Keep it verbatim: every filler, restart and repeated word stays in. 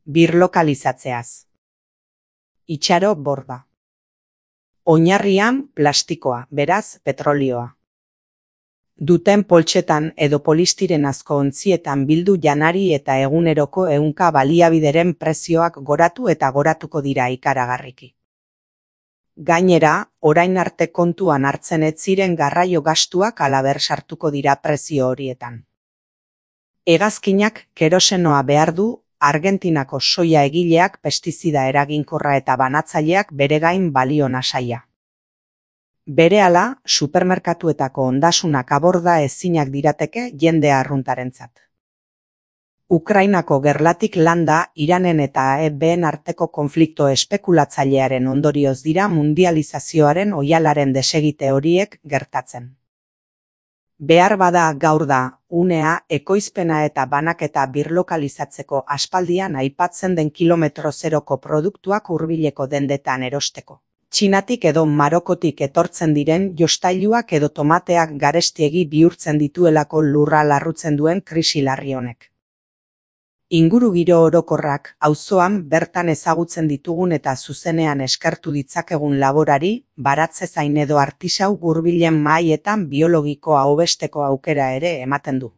birlokalizatzeaz. Itxaro borda. Oinarrian plastikoa, beraz petrolioa. Duten poltsetan edo polistirenazko ontzietan bildu janari eta eguneroko ehunka baliabideren prezioak goratu eta goratuko dira ikaragarriki. Gainera, orain arte kontuan hartzen ez ziren garraio gastuak halaber sartuko dira prezio horietan. Hegazkinak kerosenoa behar du, Argentinako soia egileak pestizida eraginkorra eta banatzaileak bere gain balio nasaia. Berehala, supermerkatuetako ondasunak aborda ezinak dirateke jende arruntarentzat. Ukrainako gerlatik landa, Iranen eta A E B-en arteko konflikto espekulatzailearen ondorioz dira mundializazioaren oihalaren desegite horiek gertatzen. Behar bada gaur da, unea, ekoizpena eta banaketa birlokalizatzeko aspaldian aipatzen den kilometro zeroko produktuak hurbileko dendetan erosteko. Txinatik edo Marokotik etortzen diren jostailuak edo tomateak garestiegi bihurtzen dituelako lurra larrutzen duen krisi larri honek. Ingurugiro orokorrak, auzoan bertan ezagutzen ditugun eta zuzenean eskertu ditzakegun laborari, baratzezain edo artisau hurbilen mahaietan biologikoa hobesteko aukera ere ematen du.